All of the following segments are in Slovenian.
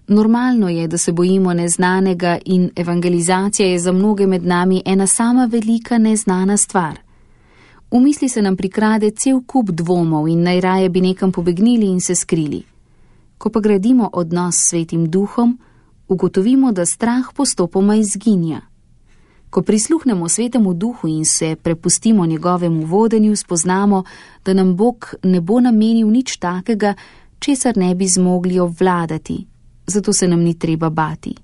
Normalno je, da se bojimo neznanega in evangelizacija je za mnoge med nami ena sama velika neznana stvar. V misli se nam prikrade cel kup dvomov in najraje bi nekam pobegnili in se skrili. Ko pa gradimo odnos s Svetim Duhom, ugotovimo, da strah postopoma izginja. Ko prisluhnemo Svetemu Duhu in se prepustimo njegovemu vodenju, spoznamo, da nam Bog ne bo namenil nič takega, česar ne bi zmogli obvladati, zato se nam ni treba bati.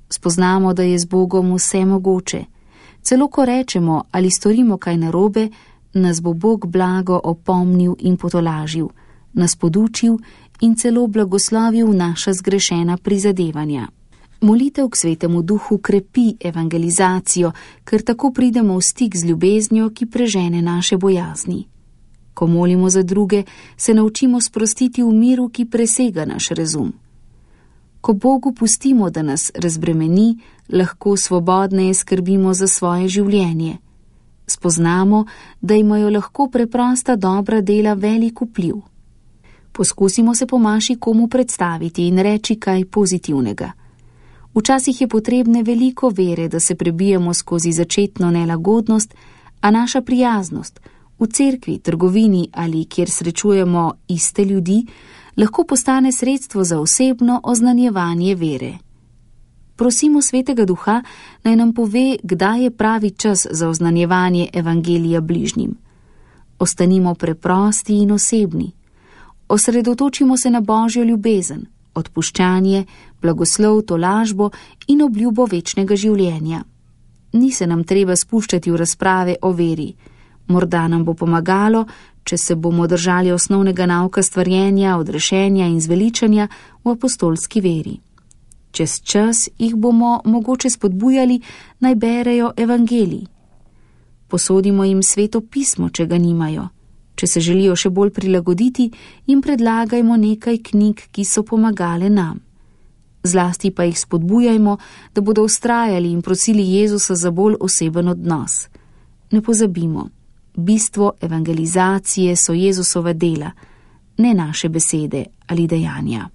Spoznamo, da je z Bogom vse mogoče. Celo ko rečemo ali storimo kaj narobe, nas bo Bog blago opomnil in potolažil, nas podučil in celo blagoslovil naša zgrešena prizadevanja. Molitev k Svetemu Duhu krepi evangelizacijo, ker tako pridemo v stik z ljubeznjo, ki prežene naše bojazni. Ko molimo za druge, se naučimo sprostiti v miru, ki presega naš razum. Ko Bogu pustimo, da nas razbremeni, lahko svobodneje skrbimo za svoje življenje. Spoznamo, da imajo lahko preprosta dobra dela velik vpliv. Poskusimo se po maši komu predstaviti in reči kaj pozitivnega. Včasih je potrebne veliko vere, da se prebijemo skozi začetno nelagodnost, a naša prijaznost v cerkvi, trgovini ali kjer srečujemo iste ljudi, lahko postane sredstvo za osebno oznanjevanje vere. Prosimo Svetega Duha, naj nam pove, kdaj je pravi čas za oznanjevanje evangelija bližnjim. Ostanimo preprosti in osebni. Osredotočimo se na Božjo ljubezen, odpuščanje, blagoslov, tolažbo in obljubo večnega življenja. Ni se nam treba spuščati v razprave o veri. Morda nam bo pomagalo, če se bomo držali osnovnega nauka stvarjenja, odrešenja in zveličanja v apostolski veri. Čez čas jih bomo mogoče spodbujali, naj berejo evangelij. Posodimo jim Sveto pismo, če ga nimajo. Če se želijo še bolj prilagoditi, jim predlagajmo nekaj knjig, ki so pomagale nam. Zlasti pa jih spodbujajmo, da bodo vztrajali in prosili Jezusa za bolj oseben odnos. Ne pozabimo, bistvo evangelizacije so Jezusova dela, ne naše besede ali dejanja.